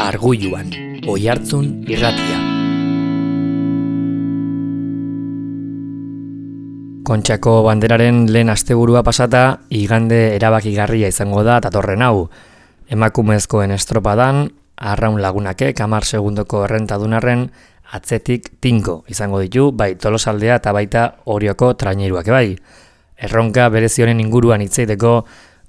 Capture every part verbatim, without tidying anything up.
Argulluan, Oihartzun irratia. Kontxako banderaren lehen asteburua pasata, igande erabakigarria izango da datorren hau. Emakumezkoen estropadan, arraun lagunakek hamar segundoko errentadunarren atzetik tinko izango ditu, bai Tolosaldea eta baita Orioko traineruak bai. Erronka berezionen inguruan hitzeiteko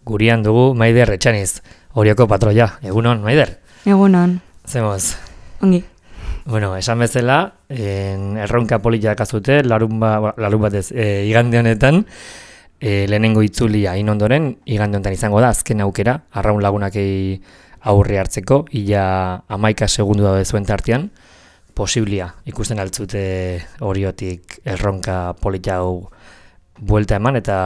gurian dugu Maider Etxaniz, Orioko patroia. Egunon, Maider? Egunon. Zemoz? Ongi. Bueno, esan bezala, en, erronka politak azute, larun, ba, larun batez, e, igande honetan, e, lehenengo itzulia hain ondoren, igande honetan izango da, azken aukera, arraun lagunakei aurre hartzeko, ia amaika segundu da zuen tartean, posiblia ikusten altzute Oriotik erronka polita hau buelta eman eta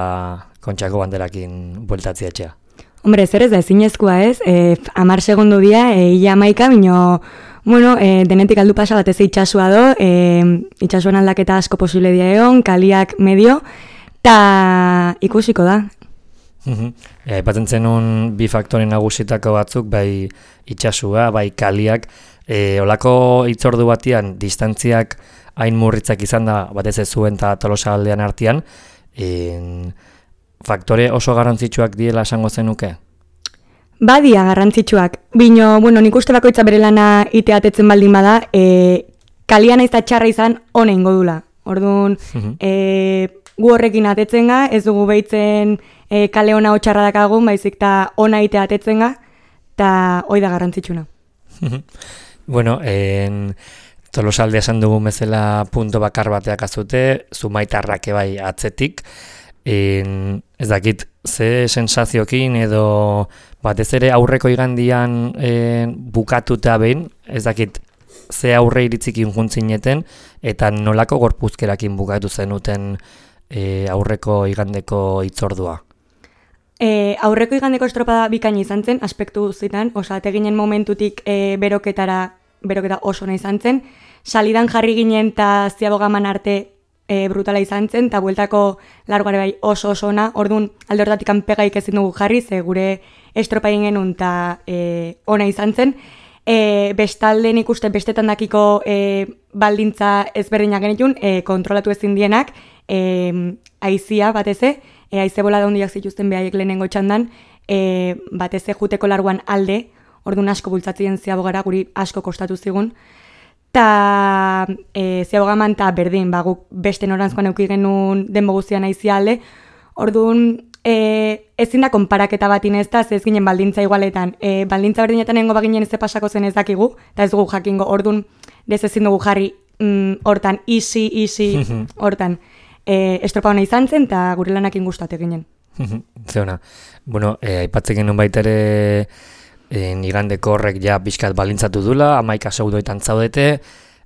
Kontxako banderakin bueltatzea etxea. Hombre, zer ez da ezinezkoa ez, e, amar segundu dia, e, ia amaika, bino, bueno, e, denetik aldu pasa batez itxasua do, e, itxasuan aldaketa asko posible dia egon, kaliak medio, eta ikusiko da. Aipatzen zenun bi faktore nagusitako batzuk, bai itxasua, bai kaliak, e, olako itzordu batian, distantziak hain murritzak izan da, batez ez zuen eta Tolosaldean artean, en, faktore oso garrantzitsuak diela esango zenuke? Badia garrantzitsuak, bino, bueno, nik uste bakoitza bere lana iteatetzen baldin bada, e, kalian ez da txarra izan hone ingo dula. Orduan, e, gu horrekin atetzen ga, ez dugu behitzen e, kale ona hotxarra dakagun, baizik eta ona iteatetzen ga, eta hoi da garrantzitsuna. Bueno, en, Tolosalde esan dugu bezala punto bakar bateak azute, Zumaitarrak bai atzetik, En, ez dakit, ze sensaziokin edo batez ere aurreko igandian e, bukatuta behin, ez dakit, ze aurre iritzikin juntzineten eta nolako gorpuzkerakin bukatu zenuten e, aurreko igandeko itzordua? E, aurreko igandeko estropada bikaina izan zen, aspektu guztietan, osa, teginen momentutik e, beroketara, beroketa oso nahi izan zen, salidan jarri ginen eta ziabogaman arte E, brutala izan zen, eta bueltako largoare bai oso oso ona, orduan alde horretatik anpegaik ezin dugu jarri, ze gure estropa egin genuen eta e, ona izan zen. E, bestalde nik uste bestetan dakiko e, baldintza ezberdinak genitun, e, kontrolatu ezin dienak, e, aizia bateze, e, aize bola daundiak zituzten behaiek lehenengo txandan, e, bateze juteko larguan alde, orduan asko bultzatzen ziabogara, guri asko kostatu zigun, eta e, ziabogaman eta berdin, ba, guk beste norantzkoan euki genuen denbo guztian aizia alde, orduan e, ezin da konparaketa bat inezta, ez ginen baldintza igualetan, e, baldintza berdinetan nengo baginen ez pasako zen ez dakigu, eta ez dugu jakingo, orduan ez ezin dugu jarri mm, hortan, easy, easy, hortan, e, estropa hona izan zen, eta gure lanakin gustate ginen. Zeona, bueno, e, aipatzen genuen baita ere, En, igandeko horrek ja pixkat balintzatu dula, amaika segundoetan zaudete,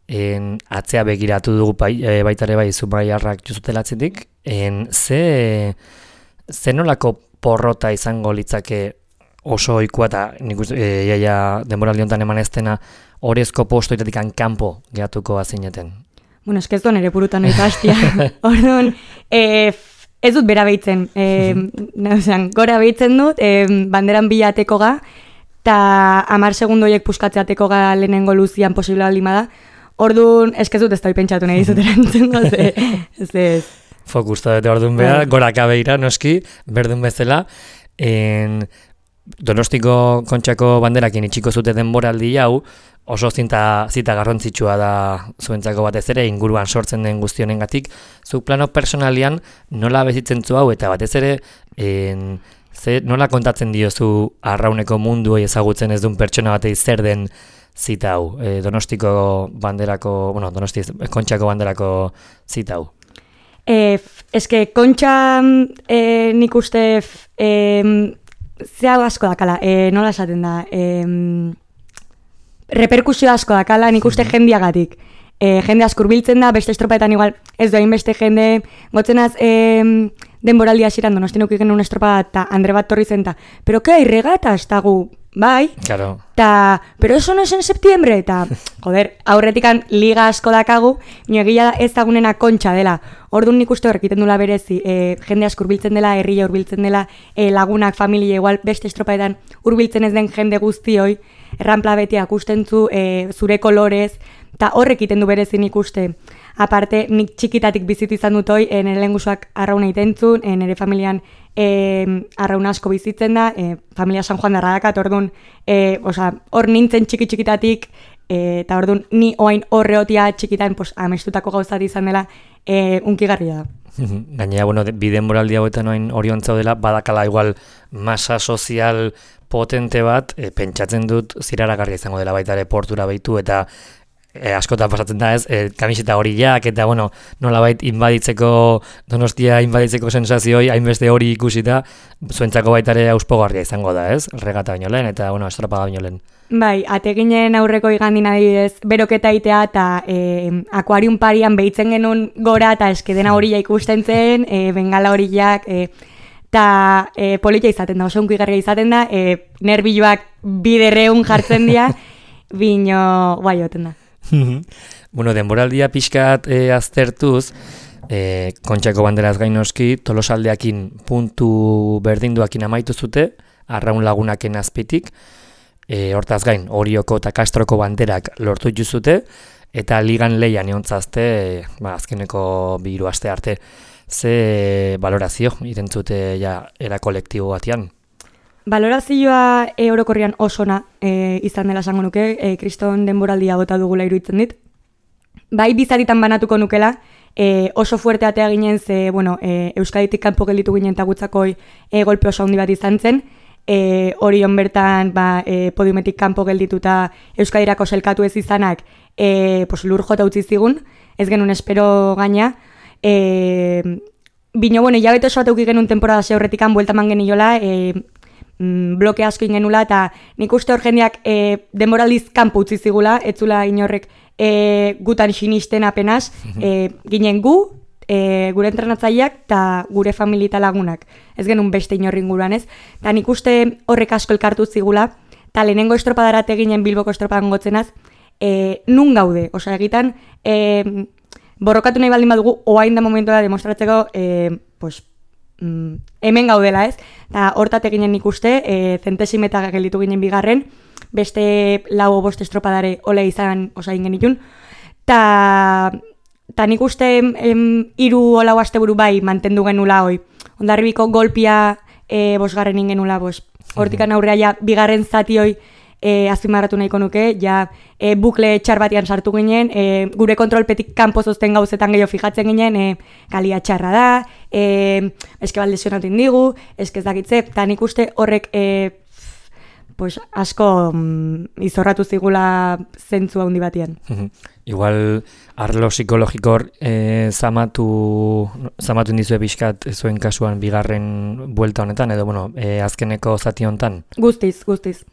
en, atzea begiratu dugu bai, e, baitare bai Zumaiarrak juzutelatzetik, en, ze, ze nolako porrota izango litzake oso ohikoa eta nik uste, e, iaia denboraldi honetan eman ez dena orezko postoitatik kanpo gehatuko azineten. Bueno, eskez doan ere burutan oita hastia. Orduan, e, ez dut bera behitzen, e, neuzan, gora behitzen dut, e, banderan bilateko ga, eta amar segundoiek puskatzeateko ga lehenengo luzian posible baldin bada. Orduan, eskez dut ez da pentsatu nahi dizut erantzungo, ze, ze, ez. Fokus da bete orduan beha, goraka behira, noski, berdun bezala. En, Donostiko Kontxako banderakin itxiko zute denboraldi hau, oso zinta, zita garrantzitsua da zuentzako batez ere, inguruan sortzen den guztionengatik. Zuk plano personalian nola bezitzen zu hau, eta batez ere, en, ze, nola kontatzen diozu arrauneko mundu ezagutzen ez duen pertsona batei zer den zita hau, e, Donostiko banderako, bueno, Donosti Kontxako banderako zita hau? E, eske, Kontxa e, nik uste e, zea asko dakala, e, nola esaten da, e, reperkusio asko dakala, nik uste jendiagatik. E, jende asko hurbiltzen da, beste estropaetan igual, ez doain beste jende, gotzenaz, e, denboraldi hasieran Donostin uki genuen estropa eta Andre bat torri zen ta, pero que hay regata, eta gu, bai, claro. Ta, pero eso no es en septiembre, eta, joder, aurretikan liga asko dakagu, nio egia ez dagunena Kontxa dela, orduan nik uste horrekiten dula berezi, e, jende asko hurbiltzen dela, herria hurbiltzen dela, e, lagunak, familia, igual beste estropaetan hurbiltzen ez den jende guztioi, erranpla betia akustentzu, e, zure kolorez, eta horrek iten du berezin ikuste. Aparte, nik txikitatik bizitu izan dut hoi, e, nire lengusuak arrauna itentzun, e, nire familian e, arrauna asko bizitzen da, e, familia San Juan darradakat, orduan, e, oza, hor nintzen txiki-txikitatik, e, eta orduan, ni oain horreotia txikitan, pues, amestutako gauzat izan dela, e, unkigarria da. Gainera, bueno, bide moraldi hauetan oain oriontza dela, badakala igual masa sozial potente bat, e, pentsatzen dut ziraragarria izango dela baita ere portura behitu, eta E, askotan pasatzen da ez, e, kamiseta horiak, eta bueno, nolabait inbaditzeko, Donostia inbaditzeko sensazioi, hainbeste hori ikusita, zuentzako baita ere auspogarria izango da ez, regata baino lehen, eta bueno, estropada baino lehen. Bai, ateginen aurreko igandin adibidez, beroketa itea, eta e, akuarium parian behitzen genuen gora, eta eskedena horia ikusten zen, e, bengala horiak, e, eta e, politia izaten da, oso unkigarria izaten da, e, nerbiloak biderreun jartzen dira, bino guai oten da. Bueno, denboraldia pixkat e, aztertuz, e, Kontxako banderaz gainoski, Tolosaldeakin puntu berdinduakin amaitu zute, Arraun Lagunaken azpitik, e, hortaz gain, Orioko eta Kastroko banderak lortu zute, eta ligan leian eontzazte, e, ba, azkeneko bi hiru aste arte, ze balorazio irentzute ja era kolektibo batean? Balorazioa e, orokorrian osona e, izan dela esango nuke, e, kriston denboraldia bota dugula iruditzen dit. Bai bizatitan banatuko nukela, e, oso fuerte atea ginen ze, bueno, e, Euskaditik kanpo gelditu ginen eta gutzakoi e, golpe oso handi bat izan zen, e, Orion bertan ba, e, podiumetik kanpo geldituta Euskadirako selkatu ez izanak e, pues, lur jota utzi zigun, ez genuen espero gaina, e, bino, bueno, jabete oso bat euki genuen temporada ze horretikan bueltaman geniola, e, bloke asko ingenula, eta nik uste hor jendeak e, denboraldiz kanpo utzi zigula, etzula inorrek e, gutan sinisten apenas, e, ginen gu, e, gure entrenatzaileak eta gure familia eta lagunak. Ez genuen beste inorri inguruan ez. Eta nik uste horrek asko elkartu zigula, eta lehenengo estropadarate ginen Bilboko estropadan gotzenaz, e, nun gaude, osea egitan, e, borrokatu nahi baldin badugu, oain da momentua demostratzeko, e, pues, Mm, hemen gaudela ez, eta hortate ginen ikuste, e, zentesimetak gelditu ginen bigarren, beste lau bost estropadare ole izan osain genitun, eta nik uste hiru olau asteburu bai mantendu genula hoi, Hondarribiko golpia e, bosgarren ingenula, bos, hortikan aurrea ja bigarren zati hoi E, azpimarratu nahiko nuke, ja e, bukle txar batean sartu ginen, e, gure kontrolpetik kanpo zozten gauzetan gehiago fijatzen ginen, e, kalia txarra da, e, eske baldesionatu indigu, eske ez dakitze, eta nik uste horrek e, pues, asko mm, izorratu zigula zentzu handi batean. Igual arlo psikologikor e, zamatu, zamatu indizue bizkat zuen kasuan bigarren buelta honetan, edo bueno, e, azkeneko zati honetan? Guztiz, guztiz.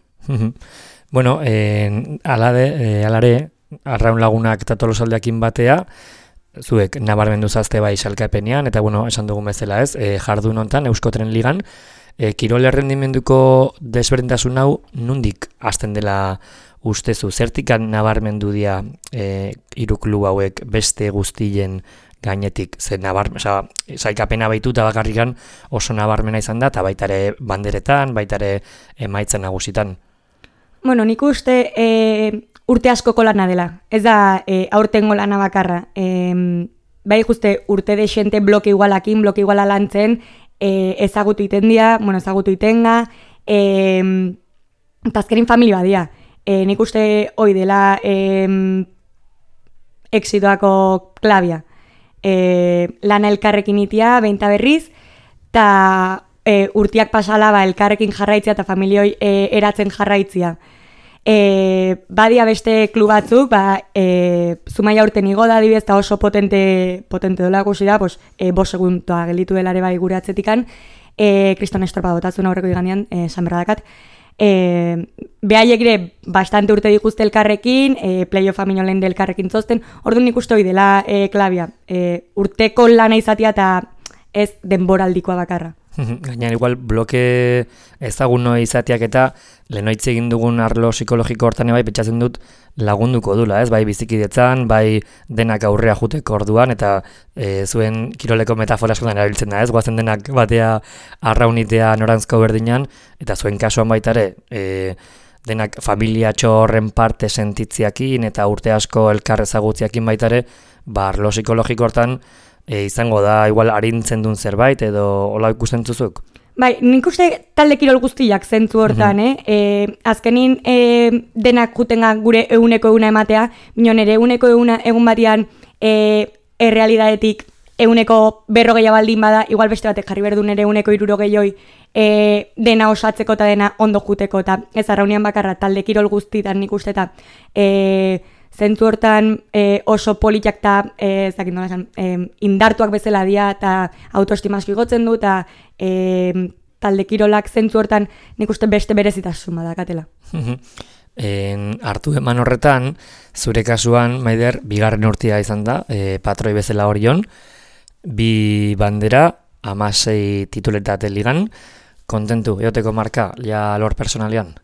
Bueno, eh, alade, eh, alare, Arraun Lagunak eta Tolosaldeakin batea, zuek nabarmendu zazte bai salkapenean, eta bueno, esan dugun bezala ez, eh, jardun honetan, Euskotren Ligan, eh, kirol errendimenduko desberdintasun hau nundik hasten dela ustezu, zertikan nabarmendu dia eh, hiru klub hauek beste guztien gainetik, ze nabar, oza, sailkapena baitu eta bakarrikan oso nabarmena izan da, eta baita ere banderetan, baita ere emaitzen nagusitan. Bueno, nik uste e, urte askoko lana dela, ez da e, aurtengo lana bakarra. E, bai ikuste urte desente bloke igualakin, bloke iguala lantzen, e, ezagutu iten dira, bueno, ezagutu itenga, e, eta azkerin familia badia. E, nik uste hoi dela e, exitoako klabia. E, lana elkarrekin itia, beinta berriz, eta e, urtiak pasala ba, elkarrekin jarraitzia eta familioi e, eratzen jarraitzia. E, badia beste klub batzuk, ba, e, Zumaia urten igo da adibidez, eta oso potente, potente dola gusi da, pues, e, bos segundoa gelditu delare bai gure atzetikan, e, Kriston estropa botatzen aurreko igandian, e, esan berradakat. E, behaiek ere bastante urte dituzte elkarrekin, e, playoff aminolen del elkarrekin zozten, orduan nik uste hoi dela e, klabia, e, urteko lana izatea eta ez denboraldikoa bakarra. Gainera, igual, bloke ezagun noi izateak eta lehenoitz egin dugun arlo psikologiko hortan bai pentsatzen dut lagunduko dula, ez? Bai bizikidetzan, bai denak aurrea juteko orduan, eta e, zuen kiroleko metafora askotan erabiltzen da, ez? Goazen denak batea arraunitea norantzko berdinan, eta zuen kasuan baita ere, e, denak familiatxo horren parte sentitziakin eta urte asko elkar ezagutziakin baitare, ba, arlo psikologiko hortan e, izango da igual arintzen duen zerbait edo hola ikusten zuzuk? Bai, nik uste talde kirol guztiak zentzu hortan, mm-hmm. eh? E, azkenin e, denak jutenga gure eguneko eguna ematea, minon ere eguneko eguna egun batean e, errealidadetik eguneko berrogeia baldin bada, igual beste batek jarri berdun ere eguneko irurogeioi e, dena osatzeko eta dena ondo juteko, eta ez arraunian bakarra talde kirol guztietan nik uste eta e, zentzu hortan e, oso politak eta e, e, indartuak bezala dia eta autoestima asko igotzen du eta e, talde kirolak zentzu hortan nik uste beste berezitasun badakatela. En, hartu eman horretan, zure kasuan, Maider, bigarren urtea izan da, e, patroi bezala horion, bi bandera, amasei tituletate ligan, kontentu, eoteko marka, ja lor personalian?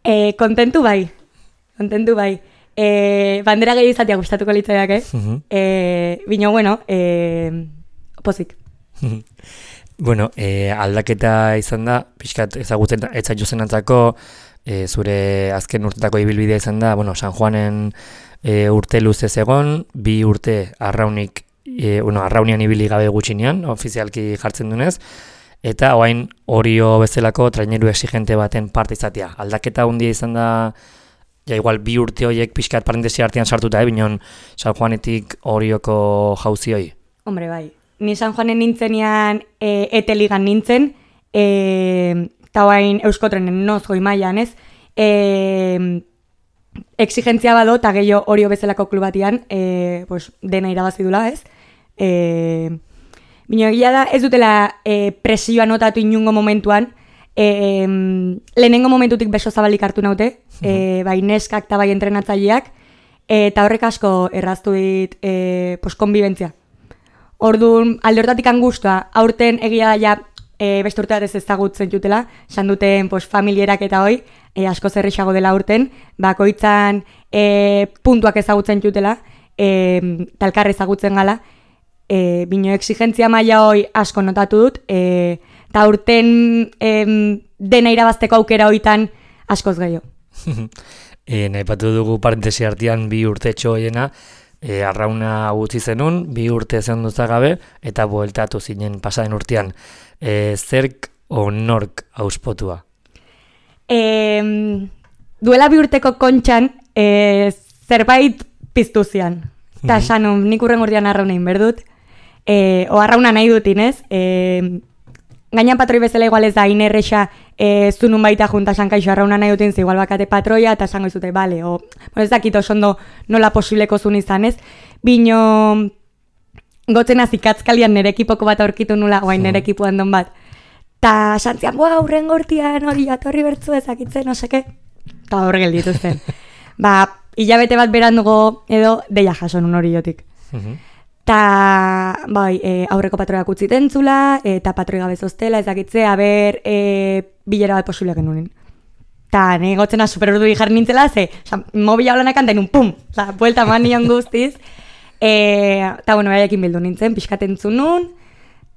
E, kontentu bai, kontentu bai. E, bandera gehi izatea gustatuko litzaiak, eh? Uh-huh. E, bino, bueno, e, pozik. Bueno, e, aldaketa izan da, pixkat ezagutzen etzaitu zenantzako, e, zure azken urtetako ibilbidea izan da, bueno, San Juanen e, urte luzez egon, bi urte arraunik, e, bueno, arraunian ibili gabe gutxinean, ofizialki jartzen dunez, eta oain Orio bezalako traineru exigente baten parte izatea. Aldaketa hundia izan da, ja igual bi urte horiek pixkat parentesi artean sartuta, eh, binon San Juanetik Orioko jauzioi. Hombre, bai. Ni San Juanen nintzenean e, eteligan nintzen, eta oain Euskotrenen noz goi mailan, ez? E, exigentzia bado, eta gehiago Orio bezalako klubatian, e, pues, dena irabazi dula, ez? E, Bino egia da, ez dutela e, presioa notatu inungo momentuan, e, e, lehenengo momentutik beso zabalik hartu naute, e, bai neskak eta bai entrenatzaileak, eta horrek asko erraztu dit e, pues, konbibentzia. Orduan, alde hortatik angustua, aurten egia ja e, beste urte bat ez ezagutzen jutela, esan duten pues, familierak eta hoi, e, asko zerrixago dela aurten, bakoitzan e, puntuak ezagutzen jutela, e, talkar ezagutzen gala, e, bino exigentzia maila hoi asko notatu dut, e, eta aurten e, dena irabazteko aukera hoitan askoz gehiago. e, Naipatu dugu parentesi artean bi urtetxo hoiena, E, arrauna gutzi zenun, bi urte zen duzagabe, eta bueltatu zinen pasaden urtean. E, zerk o nork auspotua? E, duela bi urteko kontxan, e, zerbait piztu zian. Eta mm-hmm. sanun, nik urren urtean arrauna inberdut. E, o arrauna nahi dutin, ez? E, Gainan patroi bezala igual ez da inerrexa e, zunun baita junta sankaixo arrauna nahi dutin, ze igual bakate patroia, eta sango izute, bale, o, bueno, ez dakit oso ondo nola posibleko zun izan, ez? Bino, gotzen azikatzkalian nire ekipoko bat aurkitu nula, oain nire ekipo handon bat. Ta santzian, boa, hurren gortian, hori atorri bertzu ezakitzen, no seke, eta horre gelditu zen. Ba, hilabete bat berandugo edo deia jaso nun hori jotik. Ta, bai, e, aurreko patroiak utziten zula, eta patroi gabe zoztela, ezakitze, haber, e, bilera bat posible genunin. Ta, nahi gotzena superurduri jarri nintzela, ze, oza, mobila hola nekan denun, pum, oza, buelta man nion guztiz. E, ta, bueno, baiakin bildu nintzen, pixkaten zunun,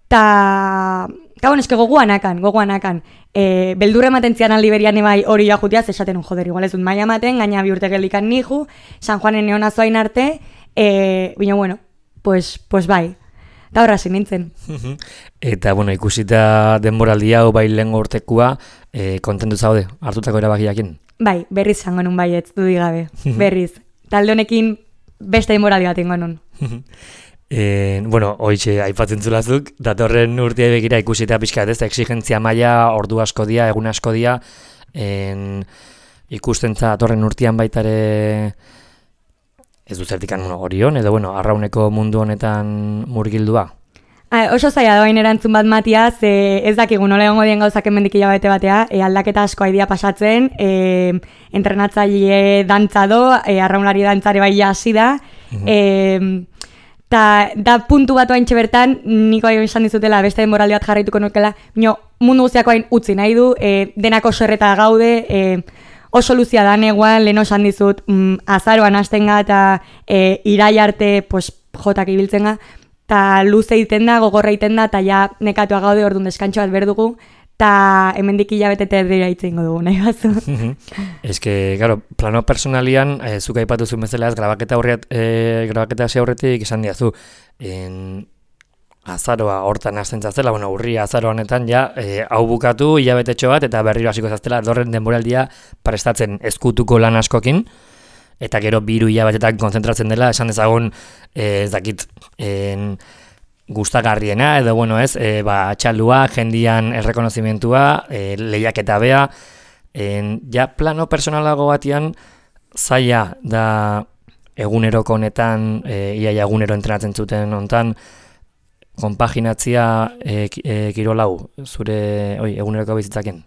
ta, ta, bueno, eske goguanakan, goguanakan. E, beldurre ematen zian aldi berian ebai hori jutiaz, esaten un, joder, igual ez dut maia ematen, gaina bi urte geldikan nihu, San Juanen neon azoain arte, e, bino, bueno, Pues, pues bai, eta horra nintzen. Eta, bueno, ikusita denboraldi hau bai lehen urtekua, e, kontentu zaude, hartutako erabakiakin? Bai, berriz zango nun baietz, dudik gabe, berriz. Talde honekin beste denboraldi bat ingo nun. e, bueno, hoitxe aipatzen zulazuk, datorren urtea begira ikusita pixka ez, exigentzia maila, ordu asko dia, egun asko dia, en, ikustentza datorren urtean baitare... Ez du zertikan Orion, edo bueno, arrauneko mundu honetan murgildua? Ha, oso zaila doain erantzun bat matia, ze ez dakigu nola egongo dien gauzak hemendik hilabete batea, e, aldaketa asko aidia pasatzen, e, entrenatzaile dantza do, e, arraunlari dantzare bai hasi da, uh-huh. e, ta, da puntu bat oaintxe bertan, niko aio izan dizutela beste denboraldi bat jarraituko nukela, no, mundu guztiako hain utzi nahi du, e, denako serreta gaude, e, oso luzia da neguan, lehen osan dizut, mm, azaroan hastenga eta e, irai arte pues, jotak ibiltzen ga, eta luze egiten da, gogorra egiten da, eta ja nekatua gaude orduan deskantxo bat berdugu, eta hemendik hilabete terdira itzengo dugu, nahi bazu. Ez que, claro, plano personalian, e, zuk aipatu zuen bezala ez, grabaketa horret, e, grabaketa hasi aurretik esan diazu, en, azaroa hortan hasten zaztela, bueno, urria azaro honetan, ja, e, hau bukatu, hilabetetxo bat, eta berriro hasiko zaztela, dorren denboraldia prestatzen ezkutuko lan askokin, eta gero biru hilabetetan konzentratzen dela, esan dezagun, e, ez dakit, en, gustagarriena, edo, bueno, ez, e, ba, txaldua, jendian errekonozimentua, e, lehiaketa bea, en, ja, plano personalago batian, zaila da eguneroko honetan, e, iaia egunero entrenatzen zuten hontan, konpaginatzia e, e, kirolau, zure, oi, eguneroko bizitzaken?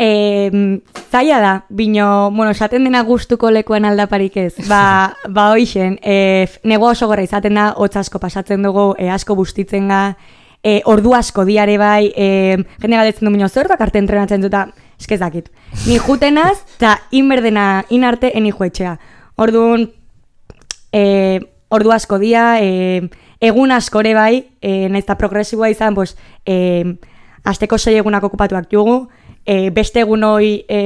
E, zaila da, bino, bueno, esaten dena gustuko lekuan aldaparik ez. Ba, ba hoixen, e, negua oso gorra izaten da, hotz asko pasatzen dugu, e, asko bustitzen ga, e, ordu asko diare bai, e, jende galdetzen du bino, zer bakarte entrenatzen duta, eskezakit. Ni jutenaz, eta inberdena inarte eni juetxea. Orduan, e, ordu asko dia, e, egun askore bai, e, nahiz eta progresiboa izan, pues, e, asteko sei egunak okupatuak jugu, E, beste egun hoi e,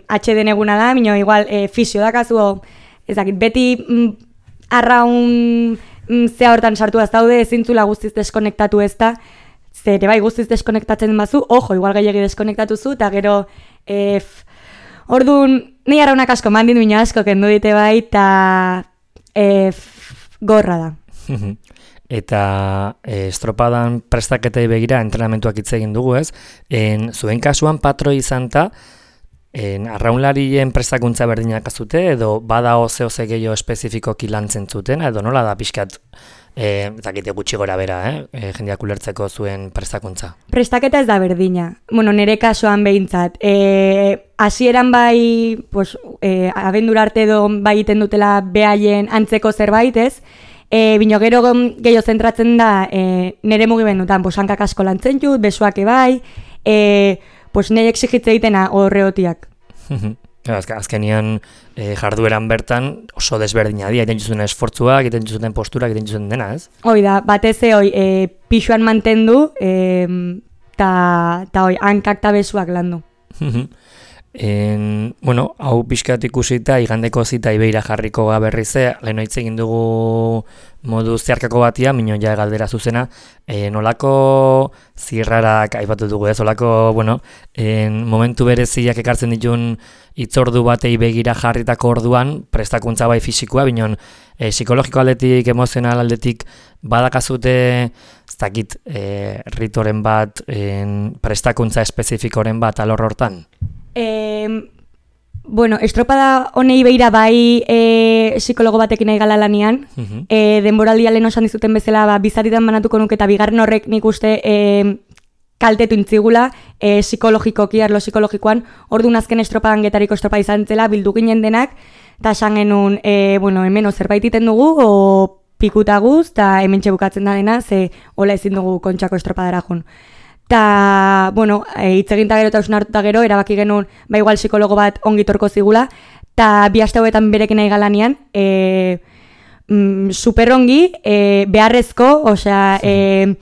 atxeden eguna da, minio igual e, fisio dakazu, ez dakit, beti mm, arraun mm, zea hortan sartu az daude, ezintzula guztiz deskonektatu ez da, zere bai guztiz deskonektatzen bazu, ojo, igual gehiagi deskonektatu zu, eta gero, e, orduan, nahi arraunak asko mandin minio asko kendu dite bai, eta e, gorra da. Eta e, estropadan prestaketei begira entrenamentuak hitz egin dugu, ez? En, zuen kasuan patro izan ta, en, arraunlarien prestakuntza berdinak azute, edo bada oze-oze gehiago espezifikoki lantzen zuten, edo nola da pixkat, e, eta gite gutxi gora bera, eh? E, jendeak ulertzeko zuen prestakuntza? Prestaketa ez da berdina. Bueno, nire kasuan behintzat. E, hasieran bai, pues, e, abendura arte edo bai iten dutela behaien antzeko zerbait, ez? E, bino gero gehiago zentratzen da e, nire mugimendutan, pues, hankak asko lantzen jut, besoak ebai, e, pues, nire exigitze egitena horreotiak. Azkenian e, jardueran bertan oso desberdina dia, egiten zuten esfortzuak, egiten zuten posturak, egiten zuten dena, ez? Hoi da, batez hoi, e, pixuan mantendu, eta e, hoi, hankak eta besoak landu. En, bueno, hau pixkat ikusita, igandeko zita ibeira jarriko gaberrize, lehen hitz egin dugu modu zeharkako batia, mino ja galdera zuzena, e, nolako zirrarak aipatu dugu ez, olako, bueno, en, momentu bereziak ekartzen ditun hitzordu batei begira jarritako orduan, prestakuntza bai fisikoa, binon, e, psikologiko aldetik, emozional aldetik, badakazute, ez dakit, e, ritoren bat, en, prestakuntza espezifikoren bat alor hortan? Eh, bueno, estropada honei beira bai e, psikologo batekin nahi gala lanian. Uh-huh. e, denboraldia lehen osan dizuten bezala, ba, bizaritan banatuko nuke eta bigarren horrek nik uste e, kaltetu intzigula e, psikologikoki, arlo psikologikoan. Orduan azken estropadan getariko estropa izan zela, bildu ginen denak, eta esan genuen, e, bueno, hemen zerbait iten dugu, o pikuta guz, eta hemen txebukatzen da dena, ze hola ezin dugu kontxako estropadara jun. Eta, bueno, hitz egin eta gero eta usun hartuta gero, erabaki genuen, ba igual psikologo bat ongitorko zigula, eta bi aste hauetan berekin nahi galanian, e, mm, super ongi, e, beharrezko, osea, e,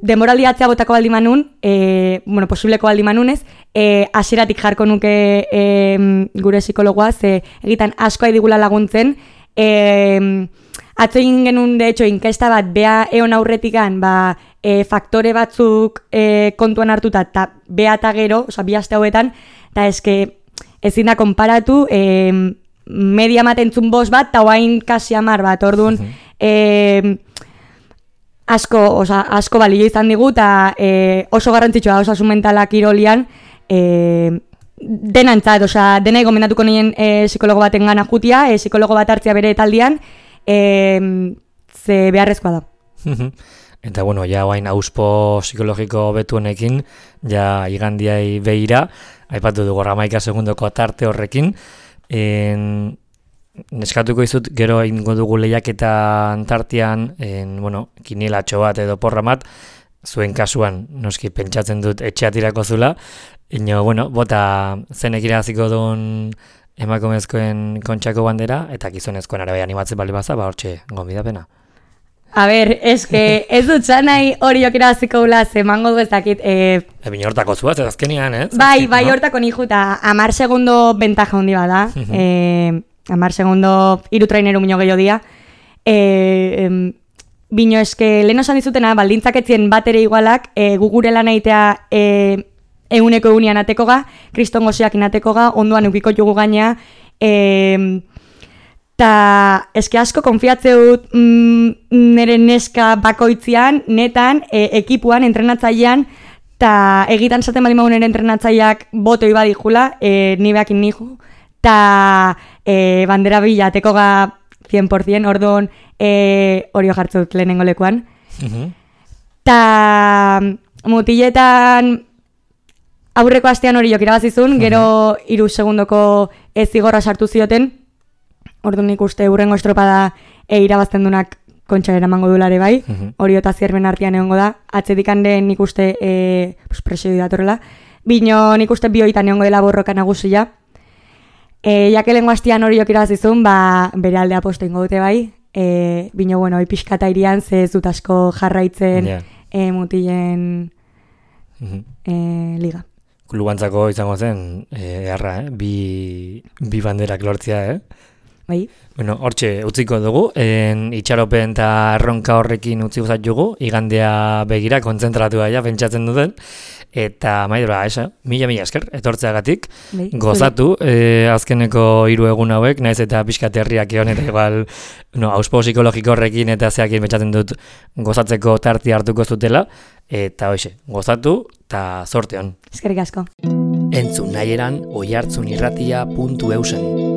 demoraldi atzea botako baldi manun, e, bueno, posibleko baldi manunez, e, aseratik jarko nuke e, gure psikologoa, ze egitan asko digula laguntzen, e, atzo egin genuen, de hecho, inkesta bat, bea eon aurretikan, ba, e, faktore batzuk e, kontuan hartuta, eta bea eta gero, oza, bi aste hauetan, eta eske ezin da konparatu, e, media matentzun bost bat, eta oain kasi amar bat, orduan, e, asko, oza, asko balio izan digu, eta e, oso garrantzitsua osasun mentala kirolian, e, denantzat, oza, dena gomendatuko nien e, psikologo baten gana jutia, e, psikologo bat hartzia bere taldian, e, ze beharrezkoa da. Eta, bueno, ja guain auspo psikologiko betuenekin, ja igandiai behira, aipatu dugu hamaika segundoko tarte horrekin, en, neskatuko izut, gero ingo dugu lehiaketan tartean, en, bueno, kinilatxo bat edo porra bat, zuen kasuan, noski pentsatzen dut etxeatirako zula, ino, bueno, bota zenek iraziko duen emakumezkoen kontxako bandera, eta gizonezkoen arabe animatzen bali baza, ba hortxe gonbidapena. A ber, eske, ez dut zanai hori okirabaziko gula, zemango du ez dakit. E... Ebin hortako zuaz, ez azkenian, ez? Bai, bai no? Hortako nijo, eta amar segundo bentaja hondi bada. Uh -huh. e, amar segundo iru traineru minio gehiago dia. E, em, bino eske, lehen osan dizutena, baldintzak etzien bat ere igualak, e, gugure lan eitea e, eguneko egunean atekoga, kriston gozeak inatekoga, onduan eukiko jugu gaina, e, ta eske asko konfiatzeut mm, nire neska bakoitzian, netan, e, ekipuan, entrenatzailean, ta egitan zaten bali magu nire entrenatzaileak botoi badijula, e, ni behakin nijo, ta e, bandera bila tekoga cien por cien, orduan e, orio jartzeut lehenengo lekuan. Uh-huh. Ta mutiletan aurreko astean hori jok irabazizun, uh-huh. Gero iru segundoko ez zigorra sartu zioten, orduan nik uste urrengo estropada e, irabazten dunak kontxa eramango dulare bai, uh-huh. Hori eta zierben artean egongo da, atzedikan den nik uste e, pues, presio datorrela, bino nik uste bioitan egongo dela borroka nagusia, e, jakelengo astean hori jok irabazizun, ba, bere aldea posto ingo dute bai, e, bino bueno, ipiskata irian ze ez dut asko jarraitzen yeah. e, mutilen uh-huh. e, liga. Klubantzako izango zen, eharra, eh? bi, bi banderak lortzea, eh? Bai. Bueno, hortxe utziko dugu, en itxaropen eta erronka horrekin utzi guzat jugu, igandea begira, kontzentratu gaia, pentsatzen duten, eta maidura, esa, mila-mila esker, etortzeagatik, bai. Gozatu, e, azkeneko hiru egun hauek, naiz eta pixkat herriak egon, eta igual, no, auspo psikologiko horrekin eta zeakin pentsatzen dut gozatzeko tarti hartuko zutela, eta hoxe, gozatu, eta zorte hon. Eskerrik asko. Entzun nahi eran oihartzunirratia puntu eusen.